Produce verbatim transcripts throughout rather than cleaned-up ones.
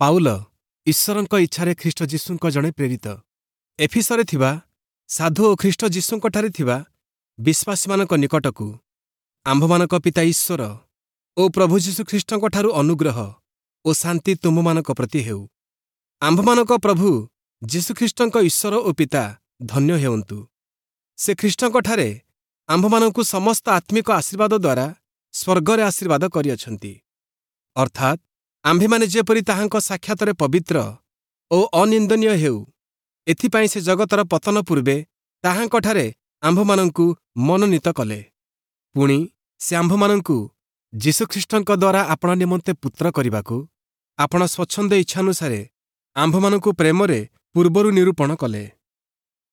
Paul ଈଶ୍ୱରଙ୍କ ଇଚ୍ଛାରେ ଖ୍ରୀଷ୍ଟ ଯୀଶୁଙ୍କ ଜଣେ ପ୍ରେରିତ ଏଫିସରେ ଥିବା ସାଧୁ ଓ ଖ୍ରୀଷ୍ଟ ଯୀଶୁଙ୍କଠାରେ ଥିବା ବିଶ୍ୱାସୀମାନଙ୍କ ନିକଟକୁ ଆମ୍ଭମାନଙ୍କ ପିତା ଈଶ୍ୱର ଓ ପ୍ରଭୁ ଯୀଶୁଖ୍ରୀଷ୍ଟଙ୍କଠାରୁ ଅନୁଗ୍ରହ ଓ ଶାନ୍ତି ତୁମ୍ଭମାନଙ୍କ ପ୍ରତି ହେଉ। ଆମ୍ଭମାନଙ୍କ ପ୍ରଭୁ ଯୀଶୁଖ୍ରୀଷ୍ଟଙ୍କ ଈଶ୍ୱର ଓ ପିତା ଧନ୍ୟ ହେଉନ୍ତୁ। ସେ ଖ୍ରୀଷ୍ଟଙ୍କଠାରେ ଆମ୍ଭମାନଙ୍କୁ ସମସ୍ତ ଆତ୍ମିକ ଆଶୀର୍ବାଦ ଦ୍ୱାରା ସ୍ୱର୍ଗରେ ଆଶୀର୍ବାଦ କରିଅଛନ୍ତି, ଅର୍ଥାତ୍ ଆମ୍ଭେମାନେ ଯେପରି ତାହାଙ୍କ ସାକ୍ଷାତରେ ପବିତ୍ର ଓ ଅନିନ୍ଦନୀୟ ହେଉ, ଏଥିପାଇଁ ସେ ଜଗତର ପତନ ପୂର୍ବେ ତାହାଙ୍କଠାରେ ଆମ୍ଭମାନଙ୍କୁ ମନୋନୀତ କଲେ। ପୁଣି ସେ ଆମ୍ଭମାନଙ୍କୁ ଯୀଶୁଖ୍ରୀଷ୍ଟଙ୍କ ଦ୍ୱାରା ଆପଣା ନିମନ୍ତେ ପୁତ୍ର କରିବାକୁ ଆପଣା ସ୍ୱଚ୍ଛନ୍ଦ ଇଚ୍ଛାନୁସାରେ ଆମ୍ଭମାନଙ୍କୁ ପ୍ରେମରେ ପୂର୍ବରୁ ନିରୂପଣ କଲେ।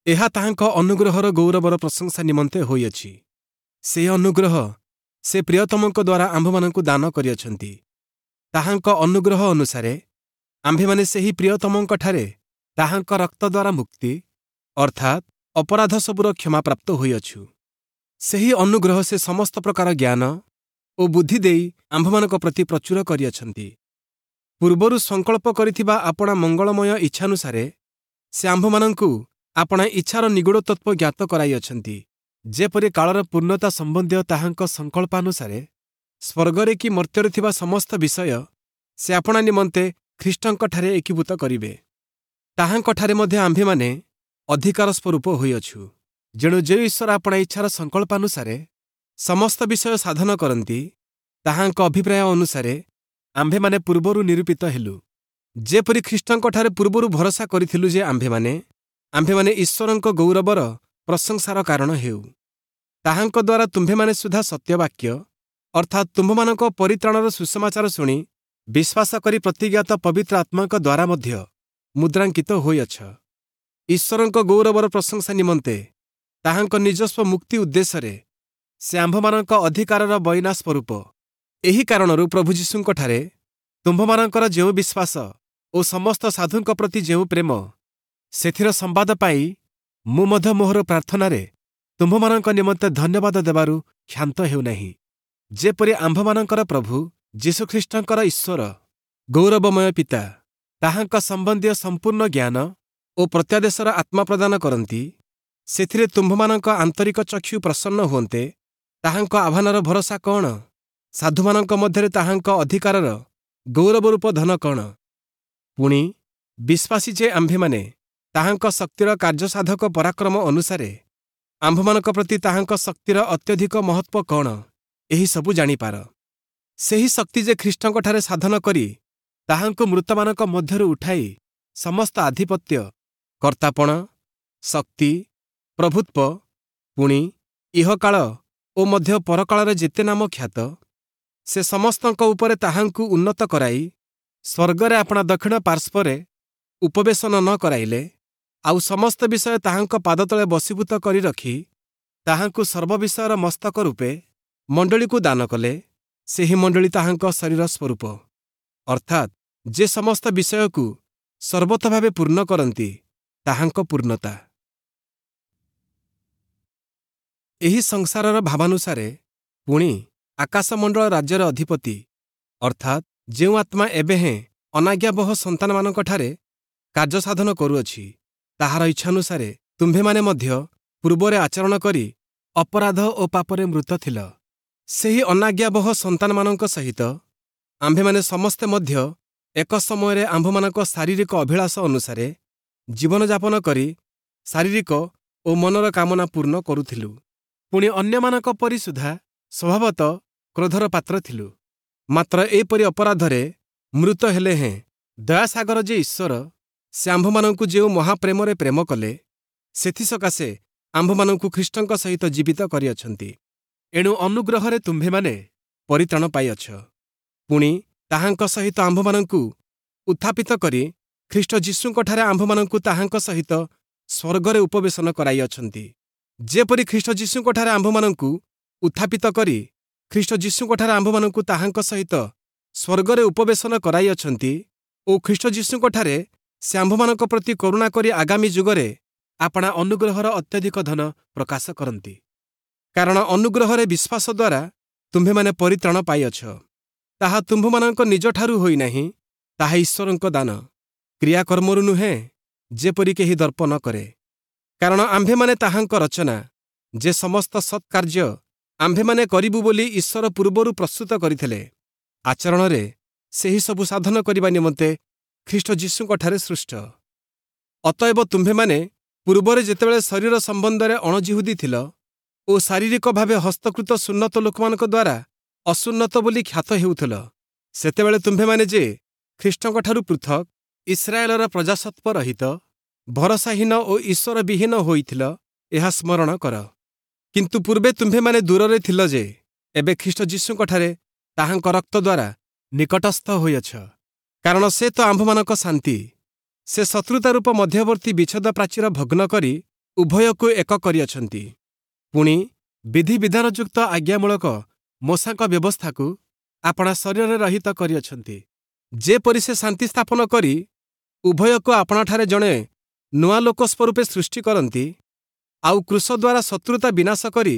ଏହା ତାହାଙ୍କ ଅନୁଗ୍ରହର ଗୌରବର ପ୍ରଶଂସା ନିମନ୍ତେ ହୋଇଅଛି। ସେ ଅନୁଗ୍ରହ ସେ ପ୍ରିୟତମଙ୍କ ଦ୍ୱାରା ଆମ୍ଭମାନଙ୍କୁ ଦାନ କରିଅଛନ୍ତି। ତାହାଙ୍କ ଅନୁଗ୍ରହ ଅନୁସାରେ ଆମ୍ଭେମାନେ ସେହି ପ୍ରିୟତମଙ୍କଠାରେ ତାହାଙ୍କ ରକ୍ତ ଦ୍ୱାରା ମୁକ୍ତି, ଅର୍ଥାତ୍ ଅପରାଧ ସବୁର କ୍ଷମାପ୍ରାପ୍ତ ହୋଇଅଛୁ। ସେହି ଅନୁଗ୍ରହ ସେ ସମସ୍ତ ପ୍ରକାର ଜ୍ଞାନ ଓ ବୁଦ୍ଧି ଦେଇ ଆମ୍ଭମାନଙ୍କ ପ୍ରତି ପ୍ରଚୁର କରିଅଛନ୍ତି। ପୂର୍ବରୁ ସଂକଳ୍ପ କରିଥିବା ଆପଣା ମଙ୍ଗଳମୟ ଇଚ୍ଛାନୁସାରେ ସେ ଆମ୍ଭମାନଙ୍କୁ ଆପଣା ଇଚ୍ଛାର ନିଗୂଢ଼ ତତ୍ତ୍ୱ ଜ୍ଞାତ କରାଇଅଛନ୍ତି, ଯେପରି କାଳର ପୂର୍ଣ୍ଣତା ସମ୍ବନ୍ଧୀୟ ତାହାଙ୍କ ସଂକଳ୍ପାନୁସାରେ ସ୍ୱର୍ଗରେ କି ମର୍ତ୍ତ୍ୟରେ ଥିବା ସମସ୍ତ ବିଷୟ ସେ ଆପଣା ନିମନ୍ତେ ଖ୍ରୀଷ୍ଟଙ୍କଠାରେ ଏକୀଭୂତ କରିବେ। ତାହାଙ୍କଠାରେ ମଧ୍ୟ ଆମ୍ଭେମାନେ ଅଧିକାର ସ୍ୱରୂପ ହୋଇଅଛୁ। ଯେଣୁ ଯେଉଁ ଈଶ୍ୱର ଆପଣା ଇଚ୍ଛାର ସଂକଳ୍ପାନୁସାରେ ସମସ୍ତ ବିଷୟ ସାଧନ କରନ୍ତି, ତାହାଙ୍କ ଅଭିପ୍ରାୟ ଅନୁସାରେ ଆମ୍ଭେମାନେ ପୂର୍ବରୁ ନିରୂପିତ ହେଲୁ, ଯେପରି ଖ୍ରୀଷ୍ଟଙ୍କଠାରେ ପୂର୍ବରୁ ଭରସା କରିଥିଲୁ ଯେ ଆମ୍ଭେମାନେ ଆମ୍ଭେମାନେ ଈଶ୍ୱରଙ୍କ ଗୌରବର ପ୍ରଶଂସାର କାରଣ ହେଉ। ତାହାଙ୍କ ଦ୍ୱାରା ତୁମ୍ଭେମାନେ ସୁଦ୍ଧା ସତ୍ୟବାକ୍ୟ, ଅର୍ଥାତ୍ ତୁମ୍ଭମାନଙ୍କ ପରିତ୍ରାଣର ସୁସମାଚାର ଶୁଣି ବିଶ୍ୱାସ କରି ପ୍ରତିଜ୍ଞାତ ପବିତ୍ର ଆତ୍ମାଙ୍କ ଦ୍ୱାରା ମଧ୍ୟ ମୁଦ୍ରାଙ୍କିତ ହୋଇଅଛ। ଈଶ୍ୱରଙ୍କ ଗୌରବର ପ୍ରଶଂସା ନିମନ୍ତେ ତାହାଙ୍କ ନିଜସ୍ୱ ମୁକ୍ତି ଉଦ୍ଦେଶ୍ୟରେ ସେ ଆମ୍ଭମାନଙ୍କ ଅଧିକାରର ବଇନା ସ୍ୱରୂପ। ଏହି କାରଣରୁ ପ୍ରଭୁ ଯୀଶୁଙ୍କଠାରେ ତୁମ୍ଭମାନଙ୍କର ଯେଉଁ ବିଶ୍ୱାସ ଓ ସମସ୍ତ ସାଧୁଙ୍କ ପ୍ରତି ଯେଉଁ ପ୍ରେମ, ସେଥିର ସମ୍ବାଦ ପାଇ ମୁଁ ମଧ୍ୟ ମୋହର ପ୍ରାର୍ଥନାରେ ତୁମ୍ଭମାନଙ୍କ ନିମନ୍ତେ ଧନ୍ୟବାଦ ଦେବାରୁ କ୍ଷାନ୍ତ ହେଉନାହିଁ, ଯେପରି ଆମ୍ଭମାନଙ୍କର ପ୍ରଭୁ ଯୀଶୁଖ୍ରୀଷ୍ଟଙ୍କର ଈଶ୍ୱର ଗୌରବମୟ ପିତା ତାହାଙ୍କ ସମ୍ବନ୍ଧୀୟ ସମ୍ପୂର୍ଣ୍ଣ ଜ୍ଞାନ ଓ ପ୍ରତ୍ୟାଦେଶର ଆତ୍ମା ପ୍ରଦାନ କରନ୍ତି, ସେଥିରେ ତୁମ୍ଭମାନଙ୍କ ଆନ୍ତରିକ ଚକ୍ଷୁ ପ୍ରସନ୍ନ ହୁଅନ୍ତେ। ତାହାଙ୍କ ଆହ୍ୱାନର ଭରସା କ'ଣ? ସାଧୁମାନଙ୍କ ମଧ୍ୟରେ ତାହାଙ୍କ ଅଧିକାରର ଗୌରବରୂପ ଧନ କ'ଣ? ପୁଣି ବିଶ୍ୱାସୀ ଯେ ଆମ୍ଭେମାନେ ତାହାଙ୍କ ଶକ୍ତିର କାର୍ଯ୍ୟସାଧକ ପରାକ୍ରମ ଅନୁସାରେ ଆମ୍ଭମାନଙ୍କ ପ୍ରତି ତାହାଙ୍କ ଶକ୍ତିର ଅତ୍ୟଧିକ ମହତ୍ତ୍ୱ କ'ଣ, ଏହିସବୁ ଜାଣିପାର। ସେହି ଶକ୍ତି ଯେ ଖ୍ରୀଷ୍ଟଙ୍କଠାରେ ସାଧନ କରି ତାହାଙ୍କୁ ମୃତମାନଙ୍କ ମଧ୍ୟରୁ ଉଠାଇ ସମସ୍ତ ଆଧିପତ୍ୟ, କର୍ତ୍ତାପଣ, ଶକ୍ତି, ପ୍ରଭୁତ୍ୱ, ପୁଣି ଇହକାଳ ଓ ମଧ୍ୟ ପରକାଳରେ ଯେତେ ନାମ ଖ୍ୟାତ, ସେ ସମସ୍ତଙ୍କ ଉପରେ ତାହାଙ୍କୁ ଉନ୍ନତ କରାଇ ସ୍ୱର୍ଗରେ ଆପଣା ଦକ୍ଷିଣ ପାର୍ଶ୍ୱରେ ଉପବେଶନ ନ କରାଇଲେ, ଆଉ ସମସ୍ତ ବିଷୟ ତାହାଙ୍କ ପାଦତଳେ ବଶୀଭୂତ କରି ରଖି ତାହାଙ୍କୁ ସର୍ବବିଷୟର ମସ୍ତକ ରୂପେ ମଣ୍ଡଳୀକୁ ଦାନ କଲେ, ସେହି ମଣ୍ଡଳୀ ତାହାଙ୍କ ଶରୀର ସ୍ୱରୂପ, ଅର୍ଥାତ୍ ଯେ ସମସ୍ତ ବିଷୟକୁ ସର୍ବତୋଭାବେ ପୂର୍ଣ୍ଣ କରନ୍ତି, ତାହାଙ୍କ ପୂର୍ଣ୍ଣତା। ଏହି ସଂସାରର ଭାବାନୁସାରେ ପୁଣି ଆକାଶମଣ୍ଡଳ ରାଜ୍ୟର ଅଧିପତି, ଅର୍ଥାତ୍ ଯେଉଁ ଆତ୍ମା ଏବେ ହେଁ ଅନାଜ୍ଞାବହ ସନ୍ତାନମାନଙ୍କଠାରେ କାର୍ଯ୍ୟସାଧନ କରୁଅଛି, ତାହାର ଇଚ୍ଛାନୁସାରେ ତୁମ୍ଭେମାନେ ମଧ୍ୟ ପୂର୍ବରେ ଆଚରଣ କରି ଅପରାଧ ଓ ପାପରେ ମୃତ ଥିଲ। ସେହି ଅନାଜ୍ଞାବହ ସନ୍ତାନମାନଙ୍କ ସହିତ ଆମ୍ଭେମାନେ ସମସ୍ତେ ମଧ୍ୟ ଏକ ସମୟରେ ଆମ୍ଭମାନଙ୍କ ଶାରୀରିକ ଅଭିଳାଷ ଅନୁସାରେ ଜୀବନଯାପନ କରି ଶାରୀରିକ ଓ ମନର କାମନା ପୂର୍ଣ୍ଣ କରୁଥିଲୁ। ପୁଣି ଅନ୍ୟମାନଙ୍କ ପରି ସୁଦ୍ଧା ସ୍ୱଭାବତଃ କ୍ରୋଧର ପାତ୍ର ଥିଲୁ। ମାତ୍ର ଏପରି ଅପରାଧରେ ମୃତ ହେଲେ ହେଁ ଦୟାସାଗର ଯେ ଈଶ୍ୱର, ସେ ଆମ୍ଭମାନଙ୍କୁ ଯେଉଁ ମହାପ୍ରେମରେ ପ୍ରେମ କଲେ, ସେଥିସକାଶେ ଆମ୍ଭମାନଙ୍କୁ ଖ୍ରୀଷ୍ଟଙ୍କ ସହିତ ଜୀବିତ କରିଅଛନ୍ତି। ଏଣୁ ଅନୁଗ୍ରହରେ ତୁମ୍ଭେମାନେ ପରିତ୍ରାଣ ପାଇଅଛ। ପୁଣି ତାହାଙ୍କ ସହିତ ଆମ୍ଭମାନଙ୍କୁ ଉତ୍ଥାପିତ କରି ଖ୍ରୀଷ୍ଟ ଯୀଶୁଙ୍କଠାରେ ଆମ୍ଭମାନଙ୍କୁ ତାହାଙ୍କ ସହିତ ସ୍ୱର୍ଗରେ ଉପବେଶନ କରାଇଅଛନ୍ତି, ଯେପରି ଖ୍ରୀଷ୍ଟ ଯୀଶୁଙ୍କଠାରେ ଆମ୍ଭମାନଙ୍କୁ ଉତ୍ଥାପିତ କରି ଖ୍ରୀଷ୍ଟ ଯୀଶୁଙ୍କଠାରେ ଆମ୍ଭମାନଙ୍କୁ ତାହାଙ୍କ ସହିତ ସ୍ୱର୍ଗରେ ଉପବେଶନ କରାଇଅଛନ୍ତି ଓ ଖ୍ରୀଷ୍ଟ ଯୀଶୁଙ୍କଠାରେ ସେ ଆମ୍ଭମାନଙ୍କ ପ୍ରତି କରୁଣା କରି ଆଗାମୀ ଯୁଗରେ ଆପଣା ଅନୁଗ୍ରହର ଅତ୍ୟଧିକ ଧନ ପ୍ରକାଶ କରନ୍ତି। କାରଣ ଅନୁଗ୍ରହରେ ବିଶ୍ୱାସ ଦ୍ୱାରା ତୁମ୍ଭେମାନେ ପରିତ୍ରାଣ ପାଇଅଛ। ତାହା ତୁମ୍ଭମାନଙ୍କ ନିଜଠାରୁ ହୋଇନାହିଁ, ତାହା ଈଶ୍ୱରଙ୍କ ଦାନ, କ୍ରିୟାକର୍ମରୁ ନୁହେଁ, ଯେପରି କେହି ଦର୍ପ ନ କରେ। କାରଣ ଆମ୍ଭେମାନେ ତାହାଙ୍କ ରଚନା, ଯେ ସମସ୍ତ ସତ୍କାର୍ଯ୍ୟ ଆମ୍ଭେମାନେ କରିବୁ ବୋଲି ଈଶ୍ୱର ପୂର୍ବରୁ ପ୍ରସ୍ତୁତ କରିଥିଲେ, ଆଚରଣରେ ସେହି ସବୁ ସାଧନ କରିବା ନିମନ୍ତେ ଖ୍ରୀଷ୍ଟ ଯୀଶୁଙ୍କଠାରେ ସୃଷ୍ଟ। ଅତଏବ ତୁମ୍ଭେମାନେ ପୂର୍ବରେ ଯେତେବେଳେ ଶରୀର ସମ୍ବନ୍ଧରେ ଅଣଯିହୁଦୀ ଥିଲ ଓ ଶାରୀରିକ ଭାବେ ହସ୍ତକୃତ ସୁନ୍ନତ ଲୋକମାନଙ୍କ ଦ୍ୱାରା ଅସୁନ୍ନତ ବୋଲି ଖ୍ୟାତ ହେଉଥିଲ, ସେତେବେଳେ ତୁମ୍ଭେମାନେ ଯେ ଖ୍ରୀଷ୍ଟଙ୍କଠାରୁ ପୃଥକ୍, ଇସ୍ରାଏଲର ପ୍ରଜାସତ୍ୱ ରହିତ, ଭରସାହୀନ ଓ ଈଶ୍ୱରବିହୀନ ହୋଇଥିଲ, ଏହା ସ୍ମରଣ କର। କିନ୍ତୁ ପୂର୍ବେ ତୁମ୍ଭେମାନେ ଦୂରରେ ଥିଲ ଯେ, ଏବେ ଖ୍ରୀଷ୍ଟ ଯୀଶୁଙ୍କଠାରେ ତାହାଙ୍କ ରକ୍ତ ଦ୍ୱାରା ନିକଟସ୍ଥ ହୋଇଅଛ। କାରଣ ସେ ତ ଆମ୍ଭମାନଙ୍କ ଶାନ୍ତି। ସେ ଶତ୍ରୁତା ରୂପ ମଧ୍ୟବର୍ତ୍ତୀ ବିଚ୍ଛେଦ ପ୍ରାଚୀର ଭଗ୍ନ କରି ଉଭୟକୁ ଏକ କରିଅଛନ୍ତି। ପୁଣି ବିଧିବିଧାନଯୁକ୍ତ ଆଜ୍ଞାମୂଳକ ମୋଶାଙ୍କ ବ୍ୟବସ୍ଥାକୁ ଆପଣା ଶରୀରରେ ରହିତ କରିଅଛନ୍ତି, ଯେପରି ସେ ଶାନ୍ତି ସ୍ଥାପନ କରି ଉଭୟକୁ ଆପଣାଠାରେ ଜଣେ ନୂଆ ଲୋକ ସ୍ୱରୂପେ ସୃଷ୍ଟି କରନ୍ତି, ଆଉ କ୍ରୁଶ ଦ୍ୱାରା ଶତ୍ରୁତା ବିନାଶ କରି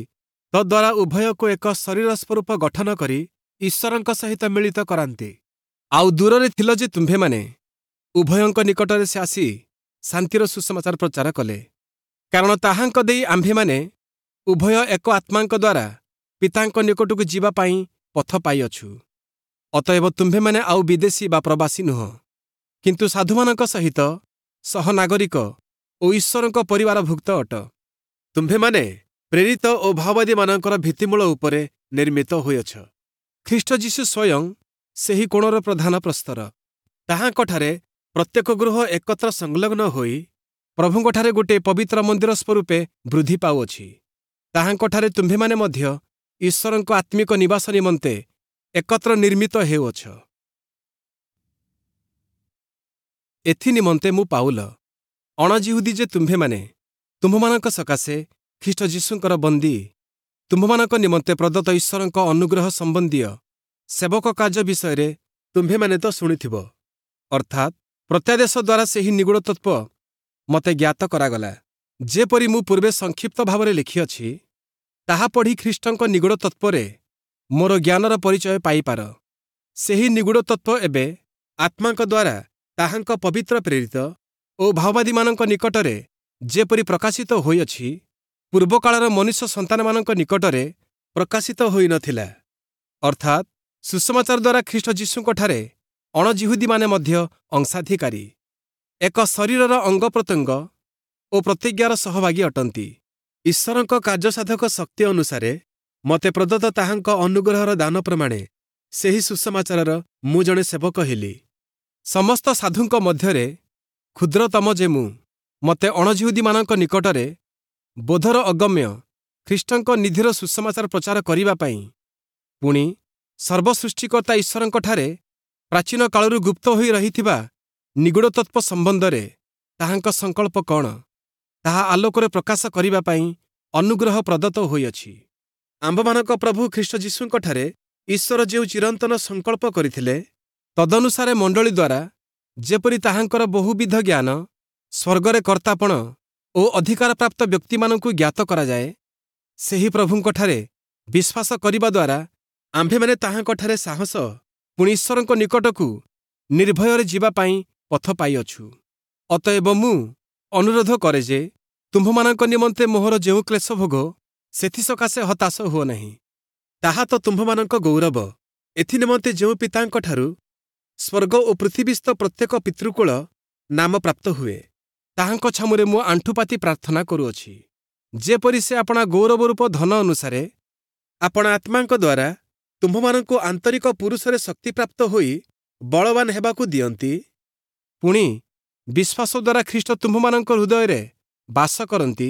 ତଦ୍ୱାରା ଉଭୟକୁ ଏକ ଶରୀର ସ୍ୱରୂପ ଗଠନ କରି ଈଶ୍ୱରଙ୍କ ସହିତ ମିଳିତ କରାନ୍ତି। ଆଉ ଦୂରରେ ଥିଲ ଯେ ତୁମ୍ଭେମାନେ, ଉଭୟଙ୍କ ନିକଟରେ ସେ ଆସି ଶାନ୍ତିର ସୁସମାଚାର ପ୍ରଚାର କଲେ। କାରଣ ତାହାଙ୍କ ଦେଇ ଆମ୍ଭେମାନେ ଉଭୟ ଏକ ଆତ୍ମାଙ୍କ ଦ୍ୱାରା ପିତାଙ୍କ ନିକଟକୁ ଯିବା ପାଇଁ ପଥ ପାଇଅଛୁ। ଅତଏବ ତୁମ୍ଭେମାନେ ଆଉ ବିଦେଶୀ ବା ପ୍ରବାସୀ ନୁହଁ, କିନ୍ତୁ ସାଧୁମାନଙ୍କ ସହିତ ସହନାଗରିକ ଓ ଈଶ୍ୱରଙ୍କ ପରିବାରଭୁକ୍ତ ଅଟ। ତୁମ୍ଭେମାନେ ପ୍ରେରିତ ଓ ଭାଓବାଦୀମାନଙ୍କର ଭିତ୍ତିମୂଳ ଉପରେ ନିର୍ମିତ ହୋଇଅଛ। ଖ୍ରୀଷ୍ଟ ଯୀଶୁ ସ୍ୱୟଂ ସେହି କୋଣର ପ୍ରଧାନ ପ୍ରସ୍ତର। ତାହାଙ୍କଠାରେ ପ୍ରତ୍ୟେକ ଗୃହ ଏକତ୍ର ସଂଲଗ୍ନ ହୋଇ ପ୍ରଭୁଙ୍କଠାରେ ଗୋଟିଏ ପବିତ୍ର ମନ୍ଦିର ସ୍ୱରୂପେ ବୃଦ୍ଧି ପାଉଅଛି। ତାହାଙ୍କଠାରେ ତୁମ୍ଭେମାନେ ମଧ୍ୟ ଈଶ୍ୱରଙ୍କ ଆତ୍ମିକ ନିବାସ ନିମନ୍ତେ ଏକତ୍ର ନିର୍ମିତ ହେଉଅଛ। ଏଥି ନିମନ୍ତେ ମୁଁ ପାଉଲ, ଅଣଜିହୁଦୀ ଯେ ତୁମ୍ଭେମାନେ, ତୁମ୍ଭମାନଙ୍କ ସକାଶେ ଖ୍ରୀଷ୍ଟ ଯୀଶୁଙ୍କର ବନ୍ଦୀ, ତୁମ୍ଭମାନଙ୍କ ନିମନ୍ତେ ପ୍ରଦତ୍ତ ଈଶ୍ୱରଙ୍କ ଅନୁଗ୍ରହ ସମ୍ବନ୍ଧୀୟ ସେବକ କାର୍ଯ୍ୟ ବିଷୟରେ ତୁମ୍ଭେମାନେ ତ ଶୁଣିଥିବ। ଅର୍ଥାତ୍ ପ୍ରତ୍ୟାଦେଶ ଦ୍ୱାରା ସେହି ନିଗୂଢ଼ ତତ୍ତ୍ୱ ମୋତେ ଜ୍ଞାତ କରାଗଲା, ଯେପରି ମୁଁ ପୂର୍ବେ ସଂକ୍ଷିପ୍ତ ଭାବରେ ଲେଖିଅଛି, ତାହା ପଢ଼ି ଖ୍ରୀଷ୍ଟଙ୍କ ନିଗୂଢ଼ ତତ୍ତ୍ୱରେ ମୋର ଜ୍ଞାନର ପରିଚୟ ପାଇପାର। ସେହି ନିଗୂଢ଼ ତତ୍ତ୍ୱ ଏବେ ଆତ୍ମାଙ୍କ ଦ୍ୱାରା ତାହାଙ୍କ ପବିତ୍ର ପ୍ରେରିତ ଓ ଭାଓବାଦୀମାନଙ୍କ ନିକଟରେ ଯେପରି ପ୍ରକାଶିତ ହୋଇଅଛି, ପୂର୍ବକାଳର ମନୁଷ୍ୟ ସନ୍ତାନମାନଙ୍କ ନିକଟରେ ପ୍ରକାଶିତ ହୋଇନଥିଲା। ଅର୍ଥାତ୍ ସୁସମାଚାର ଦ୍ୱାରା ଖ୍ରୀଷ୍ଟ ଯୀଶୁଙ୍କଠାରେ ଅଣଜିହୁଦୀମାନେ ମଧ୍ୟ ଅଂଶାଧିକାରୀ, ଏକ ଶରୀରର ଅଙ୍ଗ ପ୍ରତ୍ୟଙ୍ଗ ଓ ପ୍ରତିଜ୍ଞାର ସହଭାଗୀ ଅଟନ୍ତି। ଈଶ୍ୱରଙ୍କ କାର୍ଯ୍ୟସାଧକ ଶକ୍ତି ଅନୁସାରେ ମୋତେ ପ୍ରଦତ୍ତ ତାହାଙ୍କ ଅନୁଗ୍ରହର ଦାନ ପ୍ରମାଣେ ସେହି ସୁସମାଚାରର ମୁଁ ଜଣେ ସେବକ ହେଲି। ସମସ୍ତ ସାଧୁଙ୍କ ମଧ୍ୟରେ କ୍ଷୁଦ୍ରତମ ଯେ ମୁଁ, ମୋତେ ଅଣଜିହୁଦୀମାନଙ୍କ ନିକଟରେ ବୋଧର ଅଗମ୍ୟ ଖ୍ରୀଷ୍ଟଙ୍କ ନିଧିର ସୁସମାଚାର ପ୍ରଚାର କରିବା ପାଇଁ, ପୁଣି ସର୍ବସୃଷ୍ଟିକର୍ତ୍ତା ଈଶ୍ୱରଙ୍କଠାରେ ପ୍ରାଚୀନ କାଳରୁ ଗୁପ୍ତ ହୋଇ ରହିଥିବା ନିଗୂଢ଼ ତତ୍ତ୍ୱ ସମ୍ବନ୍ଧରେ ତାହାଙ୍କ ସଂକଳ୍ପ କ'ଣ, ତାହା ଆଲୋକରେ ପ୍ରକାଶ କରିବା ପାଇଁ ଅନୁଗ୍ରହ ପ୍ରଦତ୍ତ ହୋଇଅଛି। ଆମ୍ଭମାନଙ୍କ ପ୍ରଭୁ ଖ୍ରୀଷ୍ଟ ଯୀଶୁଙ୍କଠାରେ ଈଶ୍ୱର ଯେଉଁ ଚିରନ୍ତନ ସଂକଳ୍ପ କରିଥିଲେ, ତଦନୁସାରେ ମଣ୍ଡଳୀ ଦ୍ୱାରା ଯେପରି ତାହାଙ୍କର ବହୁବିଧ ଜ୍ଞାନ ସ୍ୱର୍ଗରେ କର୍ତ୍ତାପଣ ଓ ଅଧିକାରପ୍ରାପ୍ତ ବ୍ୟକ୍ତିମାନଙ୍କୁ ଜ୍ଞାତ କରାଯାଏ, ସେହି ପ୍ରଭୁଙ୍କଠାରେ ବିଶ୍ୱାସ କରିବା ଦ୍ୱାରା ଆମ୍ଭେମାନେ ତାହାଙ୍କଠାରେ ସାହସ ପୁଣି ଈଶ୍ୱରଙ୍କ ନିକଟକୁ ନିର୍ଭୟରେ ଯିବା ପାଇଁ ପଥ ପାଇଅଛୁ। ଅତଏବ ମୁଁ ଅନୁରୋଧ କରେ ଯେ ତୁମ୍ଭମାନଙ୍କ ନିମନ୍ତେ ମୋହର ଯେଉଁ କ୍ଲେଶ ଭୋଗ, ସେଥିସକାଶେ ହତାଶ ହୁଅ ନାହିଁ। ତାହା ତ ତୁମ୍ଭମାନଙ୍କ ଗୌରବ। ଏଥିନିମନ୍ତେ ଯେଉଁ ପିତାଙ୍କଠାରୁ ସ୍ୱର୍ଗ ଓ ପୃଥିବୀସ୍ଥ ପ୍ରତ୍ୟେକ ପିତୃକୁଳ ନାମ ପ୍ରାପ୍ତ ହୁଏ, ତାହାଙ୍କ ଛାମୁରେ ମୁଁ ଆଣ୍ଠୁପାତି ପ୍ରାର୍ଥନା କରୁଅଛି, ଯେପରି ସେ ଆପଣା ଗୌରବରୂପ ଧନ ଅନୁସାରେ ଆପଣା ଆତ୍ମାଙ୍କ ଦ୍ୱାରା ତୁମ୍ଭମାନଙ୍କୁ ଆନ୍ତରିକ ପୁରୁଷରେ ଶକ୍ତିପ୍ରାପ୍ତ ହୋଇ ବଳବାନ ହେବାକୁ ଦିଅନ୍ତି। ପୁଣି ବିଶ୍ୱାସ ଦ୍ୱାରା ଖ୍ରୀଷ୍ଟ ତୁମ୍ଭମାନଙ୍କ ହୃଦୟରେ ବାସ କରନ୍ତି,